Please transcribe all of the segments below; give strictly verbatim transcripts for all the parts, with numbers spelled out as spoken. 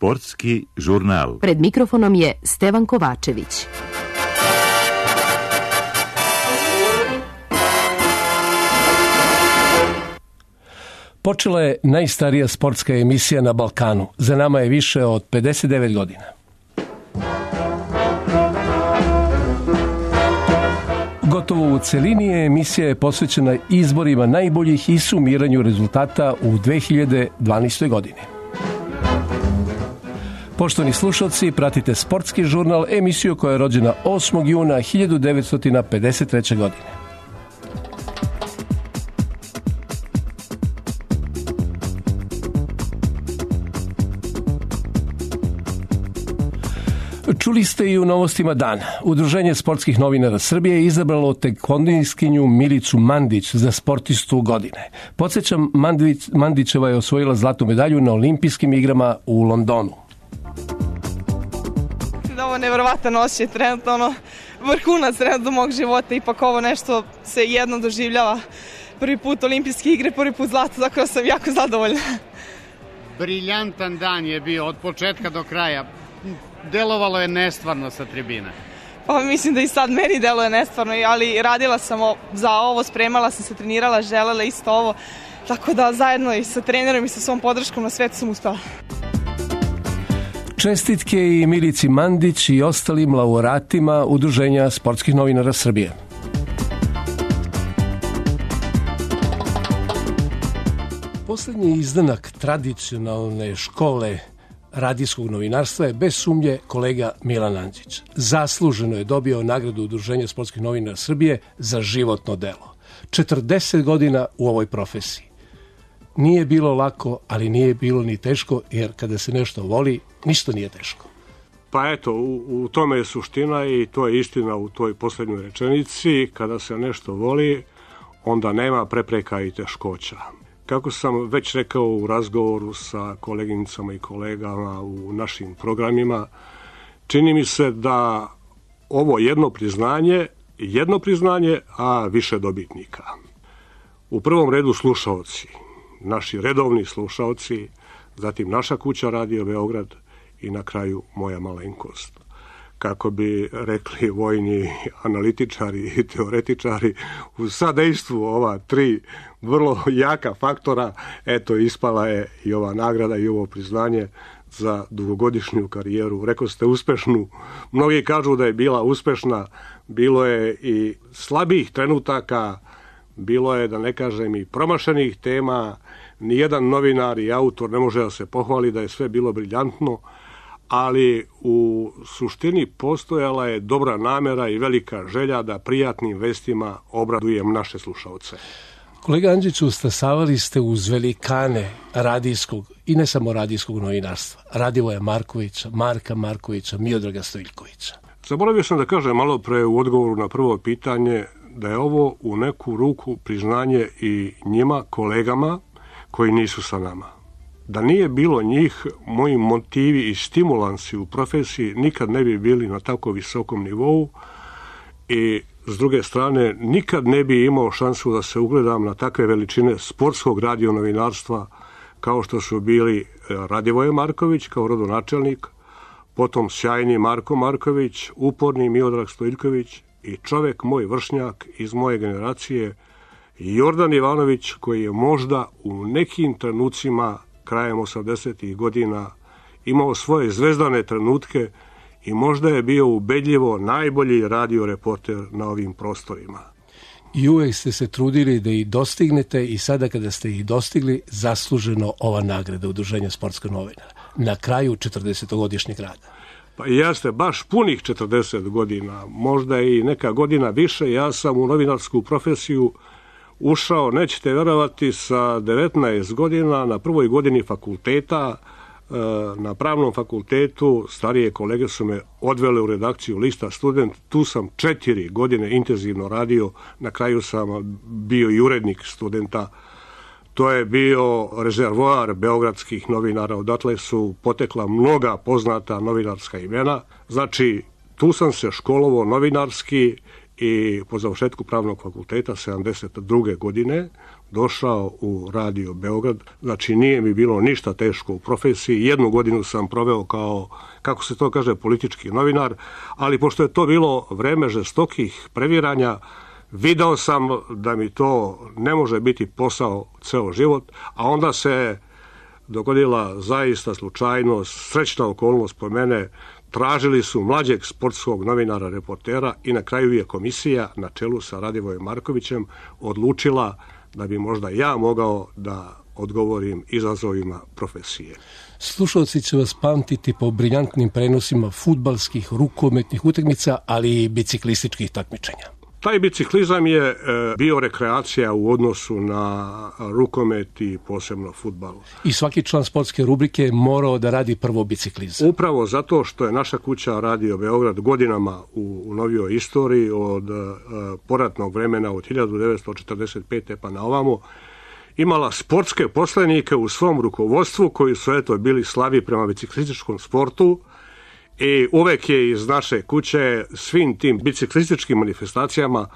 Sportski žurnal. Pred mikrofonom je Stevan Kovačević. Počela je najstarija sportska emisija na Balkanu. Za nama je više od pedeset devet godina. Gotovo u celini je emisija posvećena izborima najboljih i sumiranju rezultata u dve hiljade dvanaestoj godini. Poštovani slušalci, pratite Sportski žurnal, emisiju koja je rođena osmog juna hiljadu devetsto pedeset treće. godine. Čuli ste i u novostima dana. Udruženje sportskih novinara Srbije je izabralo tekvondijskinju Milicu Mandić za sportistu godine. Podsjećam, Mandić, Mandićeva je osvojila zlatnu medalju na olimpijskim igrama u Londonu. Ovo je nevjerovatan osjećaj, trenutno ono, vrhunac trenutno mog života, ipak ovo nešto se jedno doživljava. Prvi put olimpijske igre, prvi put zlato, tako da sam jako zadovoljna. Briljantan dan je bio od početka do kraja. Delovalo je nestvarno sa tribine. Pa mislim da i sad meni deluje nestvarno, ali radila sam za ovo, spremala sam se, trenirala, želela isto ovo, tako da zajedno i sa trenerom i sa svom podrškom na svetu sam uspela. Čestitke i Milici Mandić i ostalim laureatima Udruženja sportskih novinara Srbije. Poslednji izdanak tradicionalne škole radijskog novinarstva je bez sumnje kolega Milan Andžić. Zasluženo je dobio nagradu Udruženja sportskih novinara Srbije za životno delo. četrdeset godina u ovoj profesiji. Nije bilo lako, ali nije bilo ni teško, jer kada se nešto voli, ništa nije teško. Pa eto, u, u tome je suština i to je istina u toj posljednjoj rečenici. Kada se nešto voli, onda nema prepreka i teškoća. Kako sam već rekao u razgovoru sa koleginicama i kolegama u našim programima, čini mi se da ovo jedno priznanje, jedno priznanje, a više dobitnika. U prvom redu slušaoci, naši redovni slušaoci, zatim naša kuća Radio Beograd i na kraju moja malenkost. Kako bi rekli vojni analitičari i teoretičari, u sadejstvu ova tri vrlo jaka faktora, eto, ispala je i ova nagrada i ovo priznanje za dugogodišnju karijeru. Rekao ste uspešnu, mnogi kažu da je bila uspešna, bilo je i slabih trenutaka, bilo je, da ne kažem, i promašenih tema, nijedan novinar i autor ne može da se pohvali da je sve bilo briljantno, ali u suštini postojala je dobra namera i velika želja da prijatnim vestima obradujem naše slušaoce. Kolega Andžiću, stasavali ste uz velikane radijskog i ne samo radijskog novinarstva. Radivoja Markovića, Marka Markovića, Miodraga Stojiljkovića. Zaboravio sam da kažem malo pre u odgovoru na prvo pitanje da je ovo u neku ruku priznanje i njima, kolegama koji nisu sa nama. Da nije bilo njih, moji motivi i stimulansi u profesiji nikad ne bi bili na tako visokom nivou i s druge strane nikad ne bi imao šansu da se ugledam na takve veličine sportskog radionovinarstva kao što su bili Radivoje Marković kao rodonačelnik, potom sjajni Marko Marković, uporni Miodrag Stojiljković i čovek moj vršnjak iz moje generacije Jordan Ivanović, koji je možda u nekim trenucima krajem osamdesetih godina imao svoje zvezdane trenutke i možda je bio ubedljivo najbolji radioreporter na ovim prostorima. I uvek ste se trudili da ih dostignete i sada kada ste ih dostigli, zasluženo ova nagrada Udruženja sportskih novinara na kraju četrdesetogodišnjeg rada. Pa jeste, baš punih četrdeset godina, možda i neka godina više. Ja sam u novinarsku profesiju ušao, nećete verovati, sa devetnaest godina, na prvoj godini fakulteta, na pravnom fakultetu. Starije kolege su me odvele u redakciju lista Student, tu sam četiri godine intenzivno radio, na kraju sam bio i urednik Studenta. To je bio rezervoar beogradskih novinara, odatle su potekla mnoga poznata novinarska imena. Znači, tu sam se školovao novinarski i po završetku pravnog fakulteta sedamdeset druge godine došao u Radio Beograd. Znači nije mi bilo ništa teško u profesiji. Jednu godinu sam proveo kao, kako se to kaže, politički novinar, ali pošto je to bilo vreme žestokih previranja, video sam da mi to ne može biti posao ceo život, a onda se dogodila zaista slučajnost, srećna okolnost po mene. Tražili su mlađeg sportskog novinara, reportera i na kraju je komisija na čelu sa Radivojem Markovićem odlučila da bi možda ja mogao da odgovorim izazovima profesije. Slušalci će vas pamtiti po briljantnim prenosima fudbalskih, rukometnih utakmica, ali i biciklističkih takmičenja. Taj biciklizam je e, bio rekreacija u odnosu na rukomet i posebno fudbal. I svaki član sportske rubrike je morao da radi prvo biciklizam. Upravo zato što je naša kuća Radio Beograd godinama u, u novijoj istoriji od e, poratnog vremena od hiljadu devetsto četrdeset pete pa na ovamo imala sportske poslenike u svom rukovodstvu koji su eto bili slavi prema biciklističkom sportu. I uvek je iz naše kuće svim tim biciklističkim manifestacijama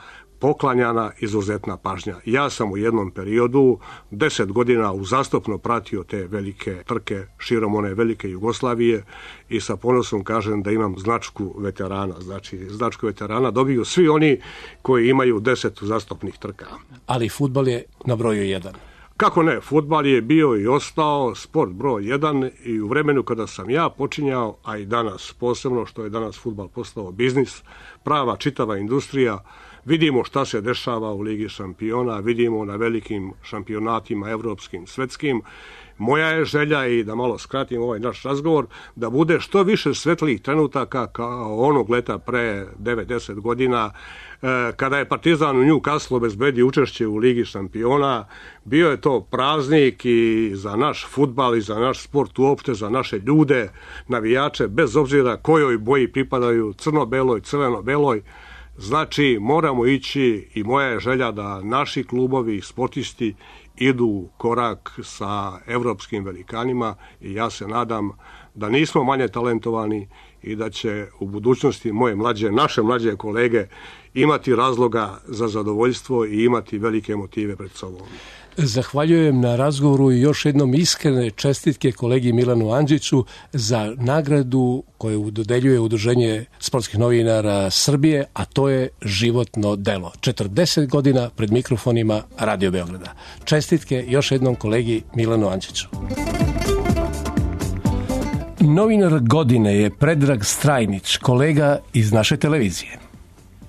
poklanjana izuzetna pažnja. Ja sam u jednom periodu deset godina uzastopno pratio te velike trke širom one velike Jugoslavije i sa ponosom kažem da imam značku veterana. Znači, značku veterana dobiju svi oni koji imaju deset uzastopnih trka. Ali fudbal je na broju jedan. Kako ne, fudbal je bio i ostao sport broj jedan i u vremenu kada sam ja počinjao, a i danas posebno što je danas fudbal postao biznis, prava čitava industrija, vidimo šta se dešava u Ligi šampiona, vidimo na velikim šampionatima evropskim, svetskim. Moja je želja, i da malo skratim ovaj naš razgovor, da bude što više svetlih trenutaka kao onog leta pre devet do deset godina, kada je Partizan u Newcastle obezbedio učešće u Ligi šampiona. Bio je to praznik i za naš fudbal i za naš sport uopšte, za naše ljude, navijače, bez obzira kojoj boji pripadaju, crno-beloj, crveno-beloj. Znači, moramo ići i moja je želja da naši klubovi i sportisti idu korak sa evropskim velikanima i ja se nadam da nismo manje talentovani i da će u budućnosti moje mlađe, naše mlađe kolege imati razloga za zadovoljstvo i imati velike motive pred sobom. Zahvaljujem na razgovoru i još jednom iskrene čestitke kolegi Milanu Andžiću za nagradu koju dodeljuje Udruženje sportskih novinara Srbije, a to je životno delo. četrdeset godina pred mikrofonima Radio Beograda. Čestitke još jednom kolegi Milanu Andžiću. Novinar godine je Predrag Strajnić, kolega iz naše televizije.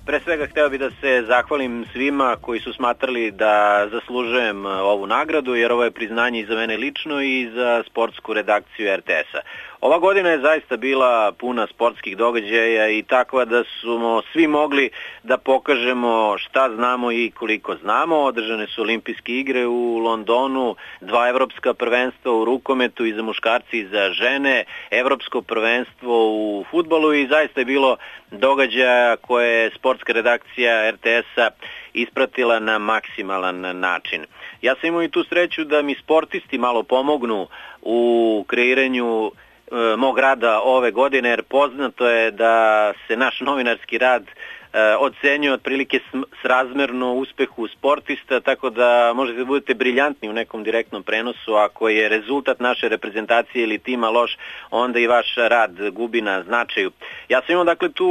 Pre svega hteo bih da se zahvalim svima koji su smatrali da zaslužujem ovu nagradu, jer ovo je priznanje i za mene lično i za sportsku redakciju er te es-a. Ova godina je zaista bila puna sportskih događaja i takva da smo svi mogli da pokažemo šta znamo i koliko znamo. Održane su olimpijske igre u Londonu, dva evropska prvenstva u rukometu i za muškarci i za žene, evropsko prvenstvo u fudbalu i zaista je bilo događaja koje je sportska redakcija er te es-a ispratila na maksimalan način. Ja sam imao i tu sreću da mi sportisti malo pomognu u kreiranju mog rada ove godine, jer poznato je da se naš novinarski rad ocenjuje otprilike srazmerno uspehu sportista, tako da možete da budete briljantni u nekom direktnom prenosu. Ako je rezultat naše reprezentacije ili tima loš, onda i vaš rad gubi na značaju. Ja sam imao dakle tu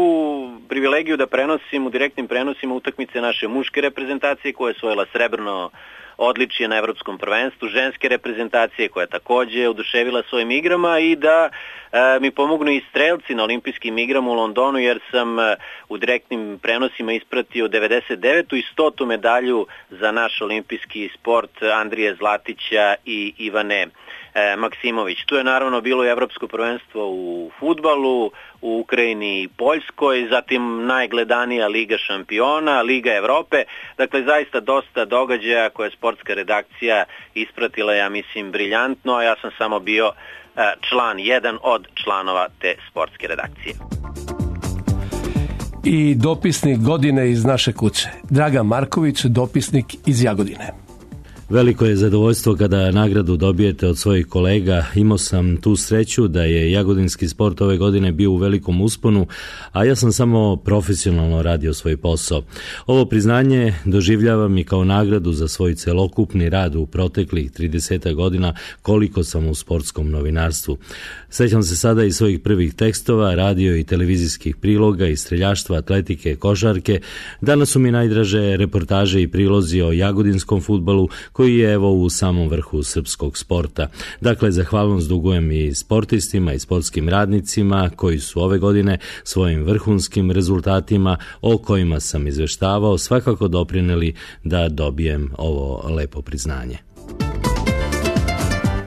privilegiju da prenosim u direktnim prenosima utakmice naše muške reprezentacije koja je osvojila srebrno odličje na evropskom prvenstvu, ženske reprezentacije koja je takođe oduševila svojim igrama i da e, mi pomognu i strelci na olimpijskim igrama u Londonu, jer sam e, u direktnim prenosima ispratio devedeset devetu i stotu medalju za naš olimpijski sport Andrije Zlatića i Ivane e, Maksimović. Tu je naravno bilo i evropsko prvenstvo u fudbalu, u Ukrajini i Poljskoj, zatim najgledanija Liga šampiona, Liga Evrope, dakle zaista dosta događaja koje je sportska redakcija ispratila, ja mislim, briljantno, a ja sam samo bio član, jedan od članova te sportske redakcije. I dopisnik godine iz naše kuće, Dragan Marković, dopisnik iz Jagodine. Veliko je zadovoljstvo kada nagradu dobijete od svojih kolega. Imao sam tu sreću da je jagodinski sport ove godine bio u velikom usponu, a ja sam samo profesionalno radio svoj posao. Ovo priznanje doživljavam i kao nagradu za svoj celokupni rad u proteklih trideset godina koliko sam u sportskom novinarstvu. Sećam se sada i svojih prvih tekstova, radio i televizijskih priloga i streljaštva, atletike, košarke. Danas su mi najdraže reportaže i prilozi o jagodinskom fudbalu koji je evo u samom vrhu srpskog sporta. Dakle, zahvalnost dugujem i sportistima i sportskim radnicima koji su ove godine svojim vrhunskim rezultatima o kojima sam izveštavao svakako doprineli da dobijem ovo lepo priznanje.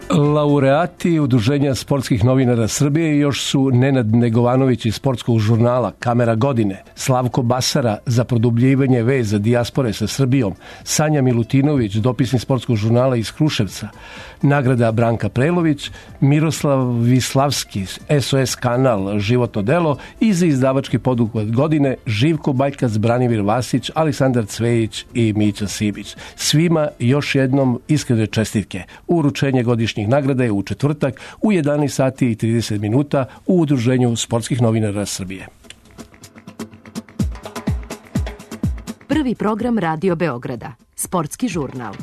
Laureati Udruženja sportskih novinara Srbije još su Nenad Negovanović iz sportskog žurnala Kamera godine, Slavko Basara za produbljivanje veza dijaspore sa Srbijom, Sanja Milutinović, dopisnik sportskog žurnala iz Kruševca, nagrada Branka Prelović, Miroslav Vislavski, S O S kanal Životno delo i za izdavački poduhvat godine Živko Bajkac, Branimir Vasić, Aleksandar Cvejić i Mića Sibić. Svima još jednom iskrene čestitke. Uručenje godišnjih nagrada je u četvrtak u jedanaest sati i trideset minuta u Udruženju sportskih novinara Srbije. Prvi program Radio Beograda, sportski žurnal.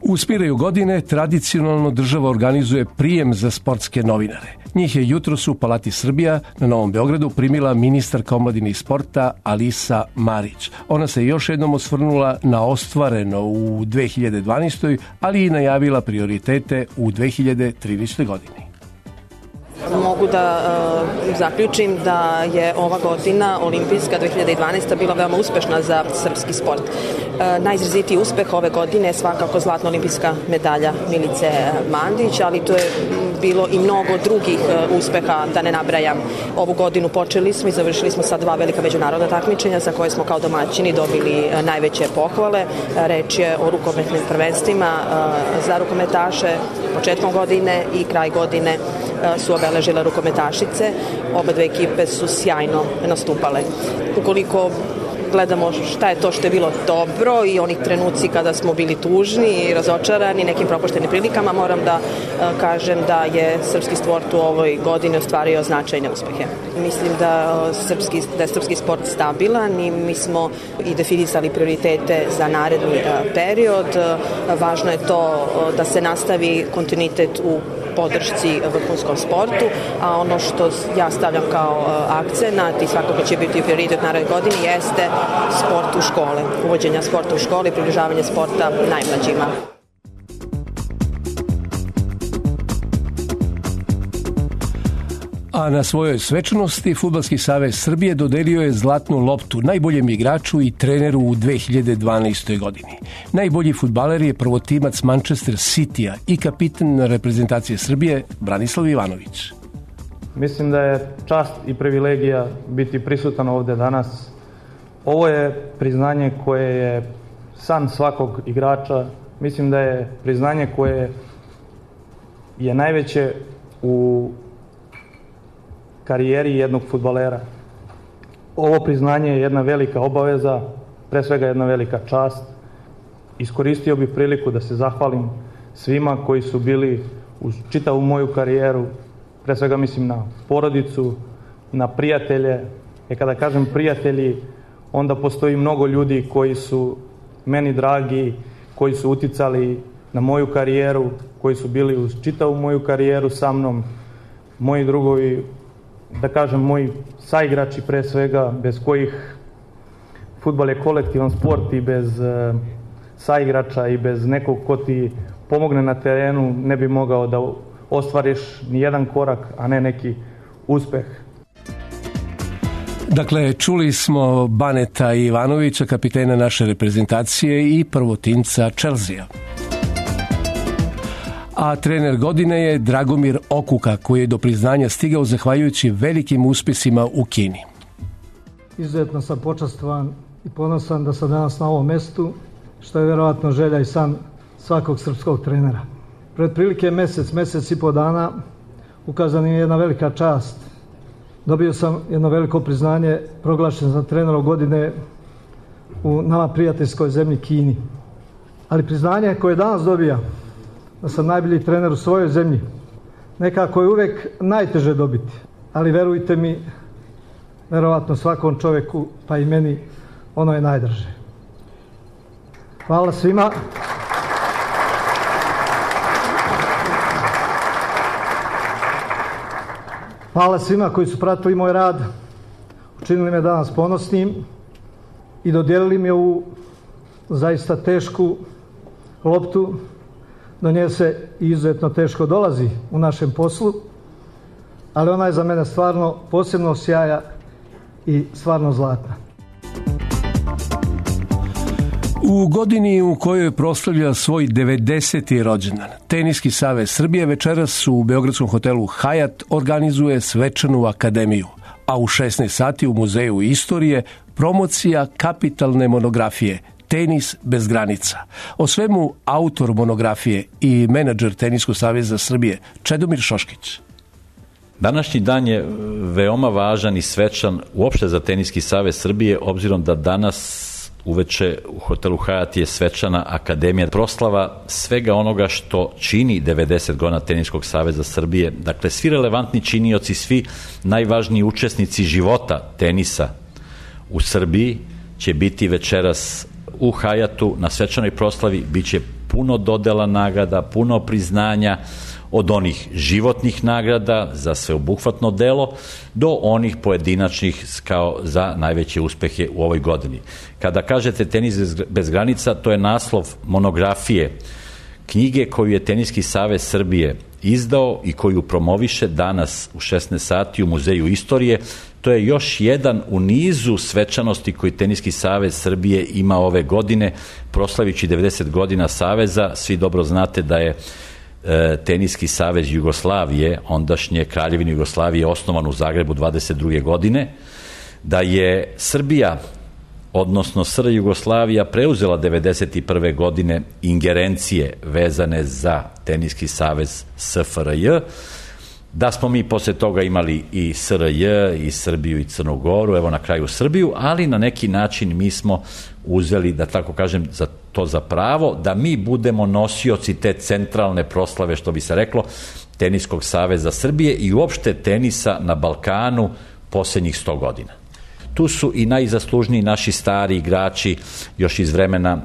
Uspiraju godine, tradicionalno država organizuje prijem za sportske novinare. Njih je jutros u Palati Srbija na Novom Beogradu primila ministarka omladine i sporta Alisa Marić. Ona se još jednom osvrnula na ostvareno u dve hiljade dvanaestoj. ali i najavila prioritete u dve hiljade trinaestoj. godini. Mogu da uh, zaključim da je ova godina olimpijska dve hiljade dvanaesta. bila veoma uspešna za srpski sport. Uh, najizrazitiji uspeh ove godine je svakako zlatna olimpijska medalja Milice Mandić, ali to je bilo i mnogo drugih uh, uspeha, da ne nabrajam. Ovu godinu počeli smo i završili smo sa dva velika međunarodna takmičenja za koje smo kao domaćini dobili uh, najveće pohvale. Uh, reč je o rukometnim prvenstvima uh, za rukometaše početkom godine i kraj godine uh, su obeležile rukometašice. Oba dve ekipe su sjajno nastupale. Ukoliko gledamo šta je to što je bilo dobro i onih trenuci kada smo bili tužni i razočarani nekim propuštenim prilikama, moram da uh, kažem da je srpski sport u ovoj godini ostvario značajne uspehe. Mislim da, uh, srpski, da je srpski sport stabilan i mi smo i definisali prioritete za naredni uh, period. Uh, važno je to uh, da se nastavi kontinuitet u podršci vrhunskom sportu, a ono što ja stavljam kao uh, akcenat i svakako će biti prioritet naredne godine jeste sport u škole, uvođenja sporta u škole i približavanje sporta najmlađima. A na svojoj svečanosti Fudbalski savez Srbije dodelio je zlatnu loptu najboljem igraču i treneru u dve hiljade dvanaestoj. godini. Najbolji fudbaler je prvotimac Manchester Citya i kapitan reprezentacije Srbije Branislav Ivanović. Mislim da je čast i privilegija biti prisutan ovde danas. Ovo je priznanje koje je san svakog igrača. Mislim da je priznanje koje je najveće u karijeri jednog fudbalera. Ovo priznanje je jedna velika obaveza, pre svega jedna velika čast. Iskoristio bih priliku da se zahvalim svima koji su bili uz čitavu moju karijeru, pre svega mislim na porodicu, na prijatelje. E kada kažem prijatelji, onda postoji mnogo ljudi koji su meni dragi, koji su uticali na moju karijeru, koji su bili uz čitavu moju karijeru sa mnom, moji drugovi, da kažem moji saigrači pre svega, bez kojih fudbal je kolektivan sport i bez e, saigrača i bez nekog ko ti pomogne na terenu ne bi mogao da ostvariš ni jedan korak, a ne neki uspeh. Dakle, čuli smo Baneta Ivanovića, kapitena naše reprezentacije i prvotimca Chelsea. A trener godine je Dragomir Okuka, koji je do priznanja stigao zahvaljujući velikim uspjesima u Kini. Izuzetno sam počastvovan i ponosan da sam danas na ovom mestu, što je vjerovatno želja i san svakog srpskog trenera. Pred prilike mesec, mesec i po dana ukazana je jedna velika čast. Dobio sam jedno veliko priznanje, proglašen za trenerom godine u nama prijateljskoj zemlji Kini. Ali priznanje koje danas dobija, da sam najbolji trener u svojoj zemlji, nekako je uvek najteže dobiti. Ali verujte mi, verovatno svakom čoveku, pa i meni, ono je najdraže. Hvala svima. Hvala svima koji su pratili moj rad, učinili me danas ponosnim i dodijelili mi ovu zaista tešku loptu. Do nje se izuzetno teško dolazi u našem poslu, ali ona je za mene stvarno posebno sjaja i stvarno zlatna. U godini u kojoj proslavlja svoj devedeseti rođendan, Teniski savez Srbije večeras u beogradskom hotelu Hajat organizuje svečanu akademiju, a u šesnaest sati u Muzeju istorije promocija kapitalne monografije Tenis bez granica. O svemu autor monografije i menadžer Teniskog saveza Srbije Čedomir Šoškić. Današnji dan je veoma važan i svečan uopšte za Teniski savez Srbije, obzirom da danas uveče u hotelu Hajat je svečana akademija, proslava svega onoga što čini devedeset godina Teniskog saveza Srbije. Dakle, svi relevantni činioci, svi najvažniji učesnici života tenisa u Srbiji će biti večeras u Hajatu na svečanoj proslavi. Biće puno dodela nagrada, puno priznanja, od onih životnih nagrada za sveobuhvatno delo do onih pojedinačnih kao za najveće uspehe u ovoj godini. Kada kažete Tenis bez granica, to je naslov monografije, knjige koju je Teniski savez Srbije izdao i koju promoviše danas u šesnaest sati u Muzeju istorije. To je još jedan u nizu svečanosti koji Teniski savez Srbije ima ove godine, proslavići devedeset godina saveza. Svi dobro znate da je Teniski savez Jugoslavije, ondašnje Kraljevine Jugoslavije, osnovan u Zagrebu dvadeset druge godine, da je Srbija, odnosno S R Jugoslavija, preuzela devedeset prve godine ingerencije vezane za Teniski savez S F R J, da smo mi posle toga imali i S R J, i Srbiju, i Crnu Goru, evo na kraju Srbiju, ali na neki način mi smo uzeli, da tako kažem, za to za pravo, da mi budemo nosioci te centralne proslave, što bi se reklo, Teniskog saveza Srbije i uopšte tenisa na Balkanu posljednjih sto godina. Tu su i najzaslužniji naši stari igrači još iz vremena uh,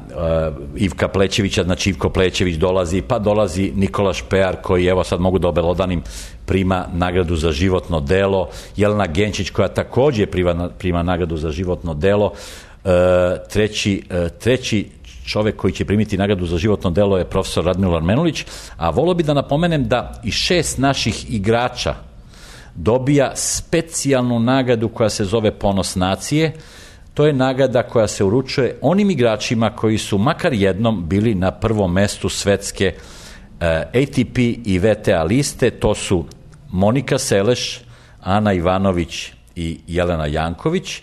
Ivka Plećevića, znači Ivko Plećević dolazi, pa dolazi Nikola Špejar koji, evo sad mogu da obelodanim, prima nagradu za životno delo, Jelena Genčić koja takođe prima, prima nagradu za životno delo, uh, treći, uh, treći čovek koji će primiti nagradu za životno delo je profesor Radmilo Menulić, a volio bi da napomenem da i šest naših igrača dobija specijalnu nagradu koja se zove Ponos nacije. To je nagrada koja se uručuje onim igračima koji su makar jednom bili na prvom mestu svetske A T P i V T A liste. To su Monika Seleš, Ana Ivanović i Jelena Janković,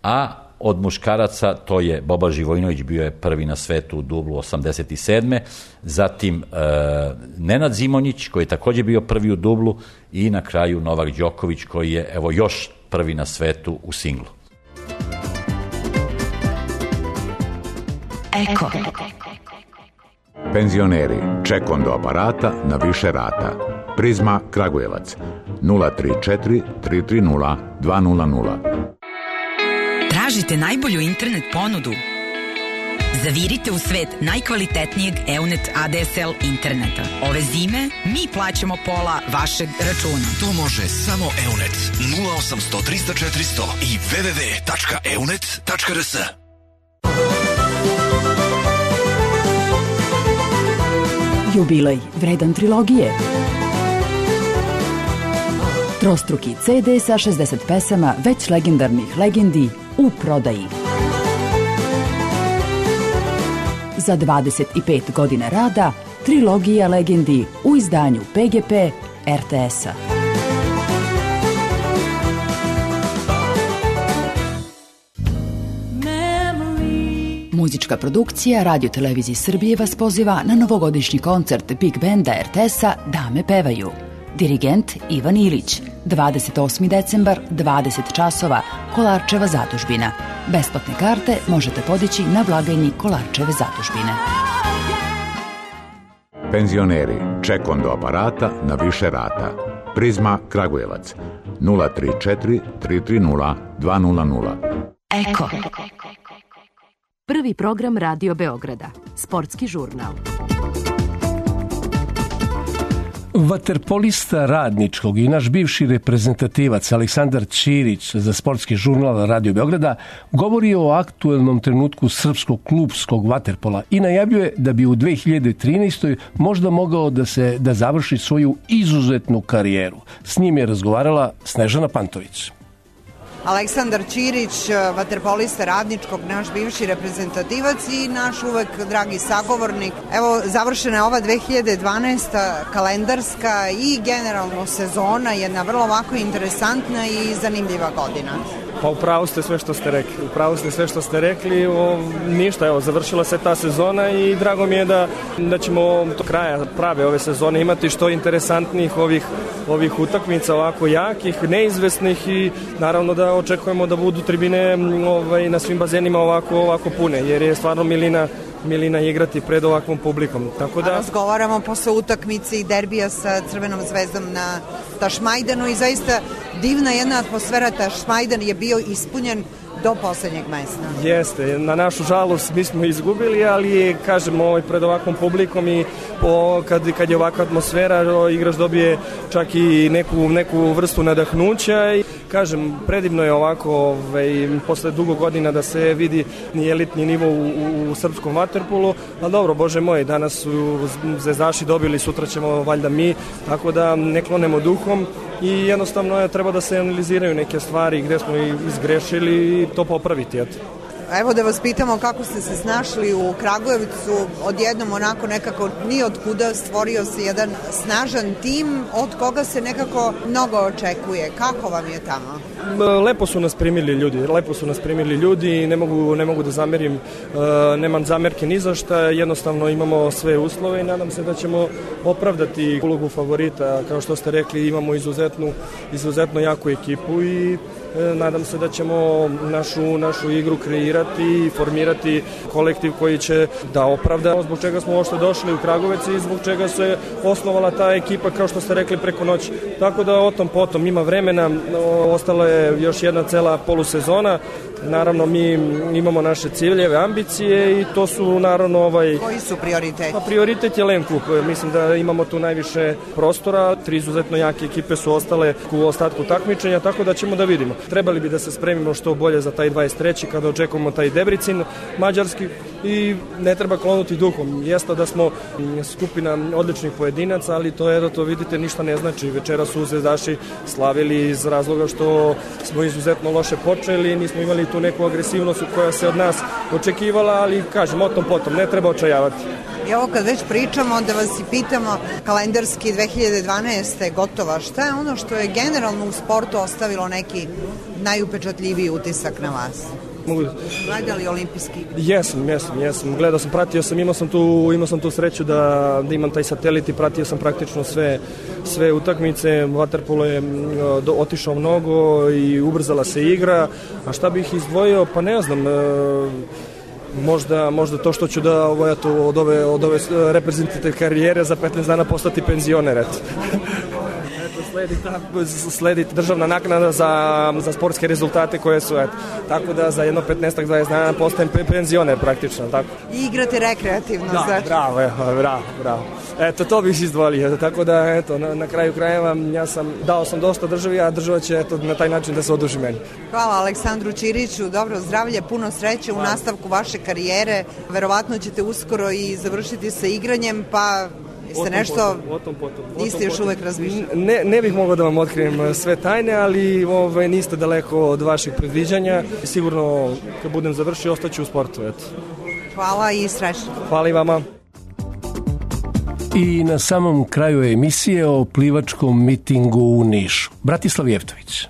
a od muškaraca to je Boba Živojinović, bio je prvi na svetu u dublu osamdeset sedme Zatim e, Nenad Zimonjić koji je takođe bio prvi u dublu i na kraju Novak Đoković koji je evo još prvi na svetu u singlu. Eko. Penzioneri, ček do aparata na više rata. Prizma Kragujevac nula tri četiri tri tri nula dva nula nula. Tražite najbolju internet ponudu? Zavirite u svet najkvalitetnijeg Eunet A D S L interneta. Ove zime mi plaćamo pola vašeg računa. To može samo Eunet. nula osam sto trista četiristo i w w w tačka eunet tačka r s. Jubilej vredan trilogije. Trostruki C D sa šezdeset pesama već legendarnih legendi u prodaji. Za dvadeset pet godina rada, trilogija legendi u izdanju P G P R T S-a. Muzička Umetnička produkcija Radio Televizije Srbije vas poziva na novogodišnji koncert Big Benda er te es-a Dame pevaju. Dirigent Ivan Ilić, dvadeset osmi decembar, dvadeset časova, Kolarčeva zadužbina. Besplatne karte možete podići na blagajni Kolarčeve zadužbine. Penzioneri, ček do aparata na više rata. Prizma Kragujevac, nula tri četiri tri tri nula dva nula nula. Eko. Prvi program Radio Beograda. Sportski žurnal. Vaterpolista Radničkog i naš bivši reprezentativac Aleksandar Ćirić za sportski žurnal Radio Beograda govori o aktuelnom trenutku srpskog klubskog vaterpola i najavljuje da bi u dve hiljade trinaestoj možda mogao da se da završi svoju izuzetnu karijeru. S njim je razgovarala Snežana Pantović. Aleksandar Ćirić, vaterpolista Radničkog, naš bivši reprezentativac i naš uvek dragi sagovornik. Evo, završena je ova dve hiljade dvanaesta kalendarska i generalno sezona, jedna vrlo ovako interesantna i zanimljiva godina. Pa upravo ste sve što ste rekli. Upravo ste sve što ste rekli. O, ništa, evo, završila se ta sezona i drago mi je da, da ćemo do kraja prave ove sezone imati što interesantnijih ovih, ovih utakmica, ovako jakih, neizvesnih i naravno da očekujemo da budu tribine ovaj, na svim bazenima ovako, ovako pune, jer je stvarno milina milina igrati pred ovakvom publikom. Tako da... A razgovaramo posle utakmice i derbija sa Crvenom zvezdom na Tašmajdanu i zaista divna jedna atmosfera. Tašmajdan je bio ispunjen do poslednjeg mesta. Jeste, na našu žalost mi smo izgubili, ali kažem, ovaj, pred ovakvom publikom i po, kad, kad je ovakva atmosfera, igrač dobije čak i neku, neku vrstu nadahnuća i kažem, predivno je ovako ovaj, posle dugo godina da se vidi ni elitni nivo u, u, u srpskom vaterpolu, ali dobro, bože moj, danas su zvezdaši dobili, sutra ćemo valjda mi, tako da ne klonemo duhom i jednostavno je, treba da se analiziraju neke stvari gde smo izgrešili i to popraviti, eto. Evo da vas pitamo kako ste se snašli u Kragujevcu, odjednom onako nekako ni od kuda stvorio se jedan snažan tim od koga se nekako mnogo očekuje. Kako vam je tamo? Lepo su nas primili ljudi, lepo su nas primili ljudi i ne mogu, ne mogu da zamerim, nemam zamerke ni za šta, jednostavno imamo sve uslove i nadam se da ćemo opravdati ulogu favorita, kao što ste rekli, imamo izuzetnu, izuzetno jaku ekipu i nadam se da ćemo našu, našu igru kreirati i formirati kolektiv koji će da opravda zbog čega smo uopšte došli u Kragujevac i zbog čega se osnovala ta ekipa, kao što ste rekli, preko noći. Tako da o tom potom ima vremena, ostala je još jedna cela polusezona. Naravno, mi imamo naše ciljeve, ambicije i to su naravno ovaj... Koji su prioriteti? Pa prioritet je Len Kup. Mislim da imamo tu najviše prostora. Tri izuzetno jake ekipe su ostale u ostatku takmičenja, tako da ćemo da vidimo. Trebali bi da se spremimo što bolje za taj dvadeset treći kada očekujemo taj Debrecin mađarski i ne treba klonuti duhom. Jeste da smo skupina odličnih pojedinaca, ali to je da to vidite ništa ne znači. Večera su zvezdaši slavili iz razloga što smo izuzetno loše počeli, nismo imali tu neku agresivnost koja se od nas očekivala, ali kažem, o tom potom, ne treba očajavati. I ovo kad već pričamo, da vas i pitamo, kalendarski dve hiljade dvanaesta je gotova. Šta je ono što je generalno u sportu ostavilo neki najupečatljiviji utisak na vas? Gledali olimpijski? Jesam, jesam, jesam. Gledao sam, pratio sam, imao sam tu, imao sam tu sreću da, da imam taj satelit i pratio sam praktično sve, sve utakmice. Vaterpolo je do, otišao mnogo i ubrzala se igra. A šta bih izdvojio? Pa ne znam, e, Možda, možda to što ću da ovo, eto, od ove, od ove reprezentativne karijere za petnaest dana postati penzioner, eto. Sledi, sledi državna naknada za, za sportske rezultate koje su, eto. Tako da za jedno petnaest dvadeset dana postajem penzioner praktično, tako. I igrate rekreativno, da, znači. Bravo, evo, bravo, bravo. Eto, to bih izdvolio, tako da, eto, na, na kraju krajeva ja sam, dao sam dosta državi, a država će, eto, na taj način da se oduži meni. Hvala Aleksandru Ćiriću, dobro zdravlje, puno sreće u nastavku vaše karijere, verovatno ćete uskoro i završiti sa igranjem, pa jeste nešto, potom, potom, niste još uvek razmišljali? Ne, ne bih mogao da vam otkrijem sve tajne, ali ovaj, niste daleko od vaših predviđanja. Sigurno, kad budem završio, ostaću u sportu, eto. Hvala i srećno. Hvala i vama. I na samom kraju emisije o plivačkom mitingu u Nišu. Bratislav Jevtović.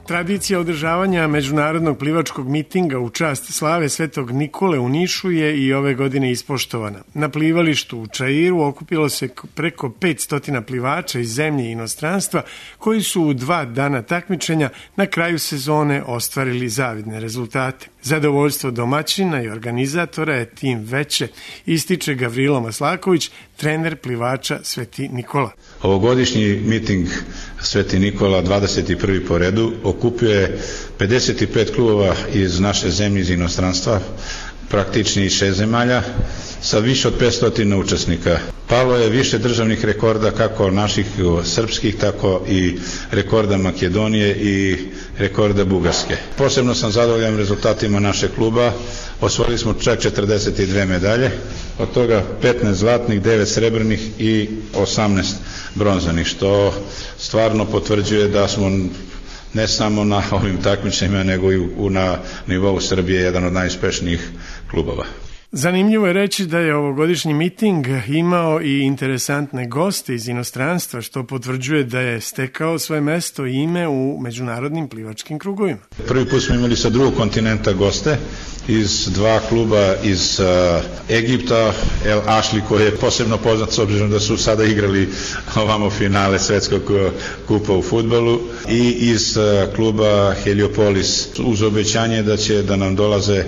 Tradicija održavanja međunarodnog plivačkog mitinga u čast slave Svetog Nikole u Nišu je i ove godine ispoštovana. Na plivalištu u Čairu okupilo se preko petsto plivača iz zemlje i inostranstva koji su u dva dana takmičenja na kraju sezone ostvarili zavidne rezultate. Zadovoljstvo domaćina i organizatora je tim veće, ističe Gavrilo Maslaković, trener plivača Sveti Nikola. Ovogodišnji miting Sveti Nikola, dvadeset prvi po redu, okupuje pedeset pet klubova iz naše zemlje, iz inostranstva, praktični iz šest zemalja, sa više od petsto učesnika. Palo je više državnih rekorda, kako naših srpskih, tako i rekorda Makedonije i rekorda Bugarske. Posebno sam zadovoljan rezultatima našeg kluba. Osvojili smo čak četrdeset dve medalje, od toga petnaest zlatnih, devet srebrnih i osamnaest bronzanih, što stvarno potvrđuje da smo ne samo na ovim takmičenjima, nego i u, na nivou Srbije jedan od najuspešnijih klubova. Zanimljivo je reći da je ovogodišnji miting imao i interesantne goste iz inostranstva, što potvrđuje da je stekao svoje mesto i ime u međunarodnim plivačkim krugovima. Prvi put smo imali sa drugog kontinenta goste iz dva kluba iz uh, Egipta, El Asli, koji je posebno poznat s obzirom da su sada igrali ovamo finale svetskog kupa u fudbalu, i iz uh, kluba Heliopolis, uz obećanje da će da nam dolaze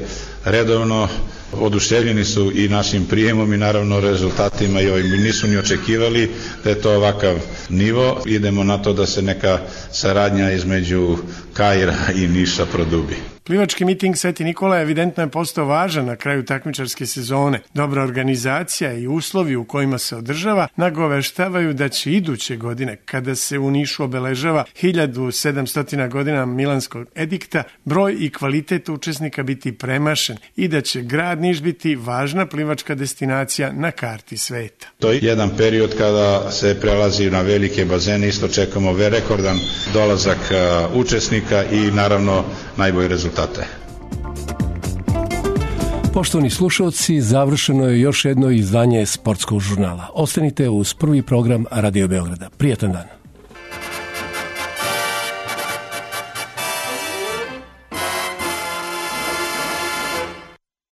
redovno. Oduševljeni su i našim prijemom i naravno rezultatima, i ovim nisu ni očekivali da je to ovakav nivo. Idemo na to da se neka saradnja između Kaira i Niša produbi. Plivački miting Sveti Nikola evidentno je postao važan na kraju takmičarske sezone. Dobra organizacija i uslovi u kojima se održava nagoveštavaju da će iduće godine, kada se u Nišu obeležava hiljadu sedamsto godina Milanskog edikta, broj i kvalitet učesnika biti premašen i da će grad Niš biti važna plivačka destinacija na karti sveta. To je jedan period kada se prelazi na velike bazene, isto čekamo rekordan dolazak učesnika i naravno najbolji rezultat. Poštovani slušalci, završeno je još jedno izdanje sportskog žurnala. Ostanite uz prvi program Radio Beograda. Prijatan dan.